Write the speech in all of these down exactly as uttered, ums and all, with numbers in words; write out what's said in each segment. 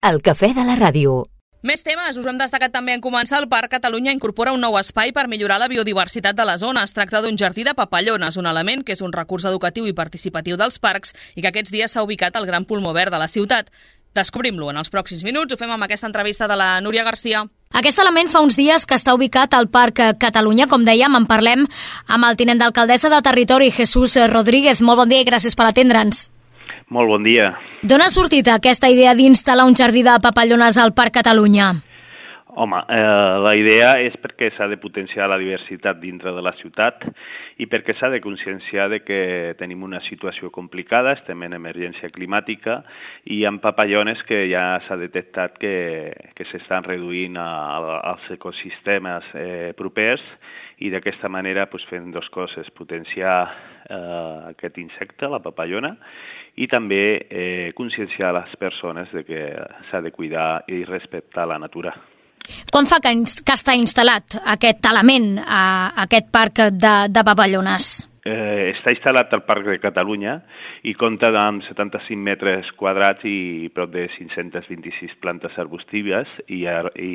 El cafè de la ràdio. Més temes. Us hem destacat també en començar. El Parc Catalunya incorpora un nou espai per millorar la biodiversitat de la zona. Es tracta d'un jardí de papallones, un element que és un recurs educatiu i participatiu dels parcs i que aquests dies s'ha ubicat al gran pulmó verd de la ciutat. Descobrim-lo en els pròxims minuts. Ho fem amb aquesta entrevista de la Núria Garcia. Aquest element fa uns dies que està ubicat al Parc Catalunya. Com dèiem, en parlem amb el tinent d'alcaldessa de Territori, Jesús Rodríguez. Molt bon dia i gràcies per atendre'ns. Molt bon dia. D'on ha sortit aquesta idea d'instal·lar un jardí de papallones al Parc Catalunya? Home, eh, la idea és perquè s'ha de potenciar la diversitat dintre de la ciutat i perquè s'ha de conscienciar de que tenim una situació complicada, estem en emergència climàtica i hi ha papallones que ja s'ha detectat que, que s'estan reduint a, a, als ecosistemes eh, propers i d'aquesta manera pues, fem dues coses, potenciar eh, aquest insecte, la papallona, i també eh, conscienciar les persones de que s'ha de cuidar i respectar la natura. Quan fa que, que està instal·lat aquest element a aquest parc de, de papallones? Eh, està instal·lat al Parc de Catalunya i compta amb setanta-cinc metres quadrats i prop de cinc-centes vint-i-sis plantes arbustives i, i,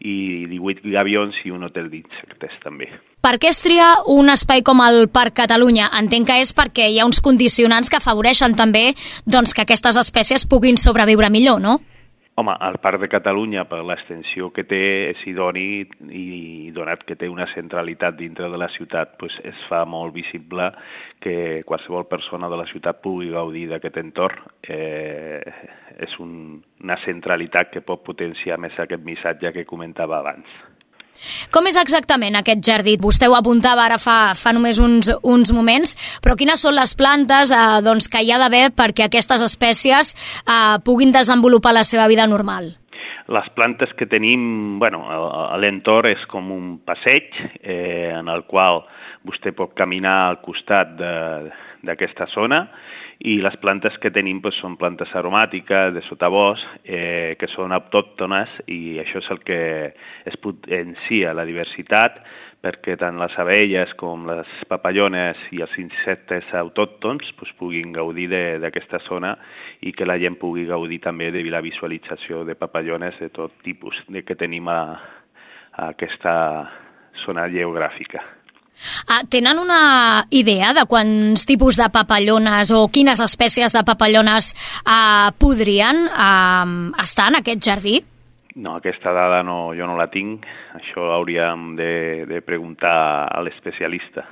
i divuit gavions i un hotel d'insectes també. Per què es tria un espai com el Parc Catalunya? Entenc que és perquè hi ha uns condicionants que afavoreixen també doncs, que aquestes espècies puguin sobreviure millor, no? Home, el Parc de Catalunya, per l'extensió que té, és idoni i donat que té una centralitat dintre de la ciutat, doncs es fa molt visible que qualsevol persona de la ciutat pugui gaudir d'aquest entorn. Eh, és un, una centralitat que pot potenciar més aquest missatge que comentava abans. Com és exactament aquest jardí? Vostè ho apuntava ara fa, fa només uns, uns moments, però quines són les plantes eh, doncs, que hi ha d'haver perquè aquestes espècies eh, puguin desenvolupar la seva vida normal? Les plantes que tenim, bueno, l'entorn és com un passeig eh, en el qual vostè pot caminar al costat d'aquesta zona i les plantes que tenim doncs, són plantes aromàtiques de sotabosc eh, que són autòctones i això és el que es potencia la diversitat perquè tant les abelles com les papallones i els insectes autòctons doncs, puguin gaudir d'aquesta zona i que la gent pugui gaudir també de la visualització de papallones de tot tipus de que tenim a, a aquesta zona geogràfica. Ah, tenen una idea de quants tipus de papallones o quines espècies de papallones ah, podrien ah, estar en aquest jardí? No, aquesta dada no, jo no la tinc. Això hauríem de, de preguntar a l'especialista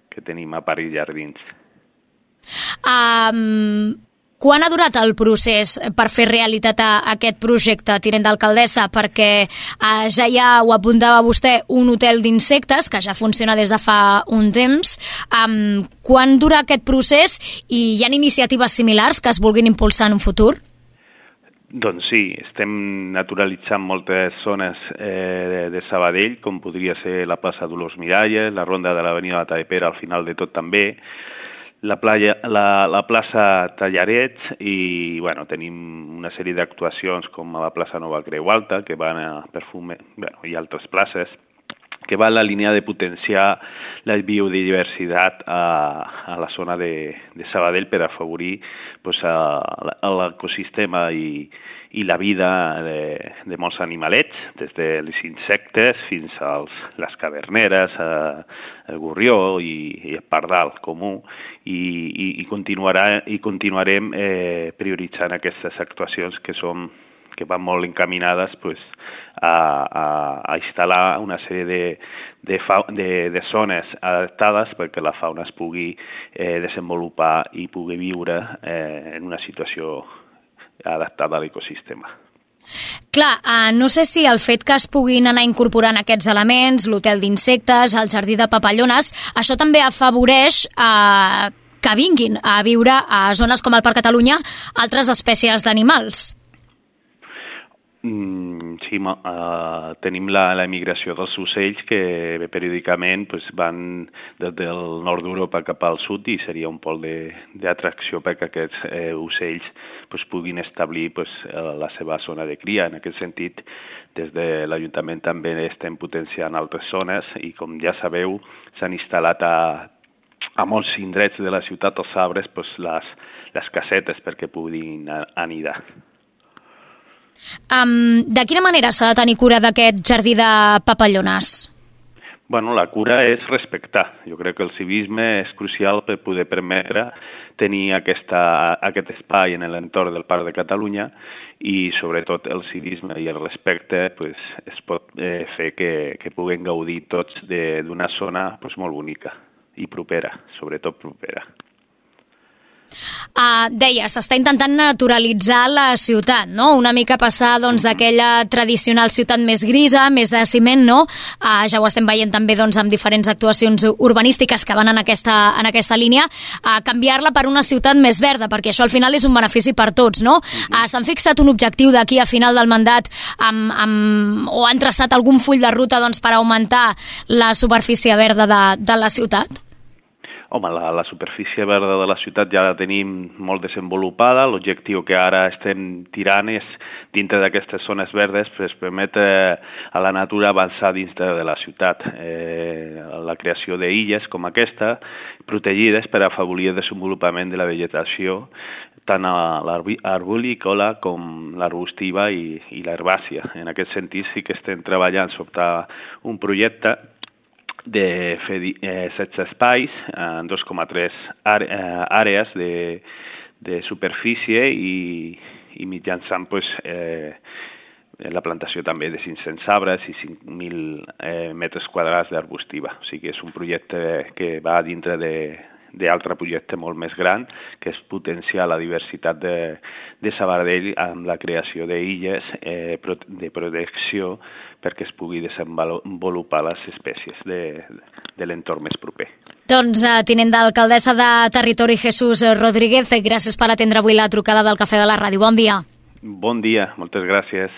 que tenim a Parc Jardins. Um, quan ha durat el procés per fer realitat a aquest projecte, tinent d'alcaldessa? Perquè uh, ja hi ha, ho apuntava vostè, un hotel d'insectes que ja funciona des de fa un temps. Um, quan dura aquest procés i hi ha iniciatives similars que es vulguin impulsar en un futur? Doncs sí, estem naturalitzant moltes zones eh, de Sabadell, com podria ser la plaça Dolors Miralles, la ronda de l'avenida de Tapera al final de tot també, la, playa, la, la plaça Tallarets i bueno, tenim una sèrie d'actuacions com a la plaça Nova Creu Alta, que van a perfume, bueno, i altres places, que va en la línia de potenciar la biodiversitat a, a la zona de, de Sabadell per afavorir pues, l'ecosistema i, i la vida de, de molts animalets, des dels insectes fins a les caverneres, a, el gorrió i, i el pardal comú, i, i, i, continuarà, i continuarem eh, prioritzant aquestes actuacions que són que van molt encaminades pues, a, a, a instal·lar una sèrie de, de, fa, de, de zones adaptades perquè la fauna es pugui eh, desenvolupar i pugui viure eh, en una situació adaptada a l'ecosistema. Clar, eh, no sé si el fet que es puguin anar incorporant aquests elements, l'hotel d'insectes, el jardí de papallones, això també afavoreix eh, que vinguin a viure a zones com el Parc Catalunya altres espècies d'animals. Mm, sí, uh, tenim la, la migració dels ocells que periòdicament pues, van des del nord d'Europa cap al sud i seria un pol d'atracció perquè aquests eh, ocells pues, puguin establir pues, la seva zona de cria. En aquest sentit, des de l'Ajuntament també estem potenciant altres zones i, com ja sabeu, s'han instal·lat a, a molts indrets de la ciutat, als arbres, pues, les, les casetes perquè puguin anidar. Um, de quina manera s'ha de tenir cura d'aquest jardí de papallones? Bueno, la cura és respectar. Jo crec que el civisme és crucial per poder permetre tenir aquesta, aquest espai en l'entorn del Parc de Catalunya i, sobretot, el civisme i el respecte pues, es pot eh, fer que, que puguem gaudir tots d'una zona pues, molt bonica i propera, sobretot propera. Uh, deia, s'està intentant naturalitzar la ciutat, no? Una mica passar doncs, d'aquella tradicional ciutat més grisa, més de ciment, no? Uh, ja ho estem veient també doncs, amb diferents actuacions urbanístiques que van en aquesta, en aquesta línia, uh, canviar-la per una ciutat més verda, perquè això al final és un benefici per tots, no? Uh, S'han fixat un objectiu d'aquí a final del mandat amb, amb, o han traçat algun full de ruta doncs, per augmentar la superfície verda de, de la ciutat? Home, la, la superfície verda de la ciutat ja la tenim molt desenvolupada. L'objectiu que ara estem tirant és, dintre d'aquestes zones verdes, pues, permetre a la natura avançar dintre de la ciutat. Eh, la creació d'illes com aquesta, protegides per afavorir el desenvolupament de la vegetació, tant a l'arborícola com l'arbustiva i, i l'herbàcia. En aquest sentit, sí que estem treballant sobre un projecte de fer eh, setze espais en dos coma tres àrees de, de superfície i, i mitjançant pues, eh, la plantació també de cinc-cents arbres i cinc mil eh, metres quadrats d'arbustiva. O sigui, és un projecte que va dintre de d'altre projecte molt més gran, que és potenciar la diversitat de, de Sabadell amb la creació d'illes eh, de protecció perquè es pugui desenvolupar les espècies de, de l'entorn més proper. Doncs, eh, tinent d'alcaldessa de Territori, Jesús Rodríguez, gràcies per atendre avui la trucada del Cafè de la Ràdio. Bon dia. Bon dia, moltes gràcies.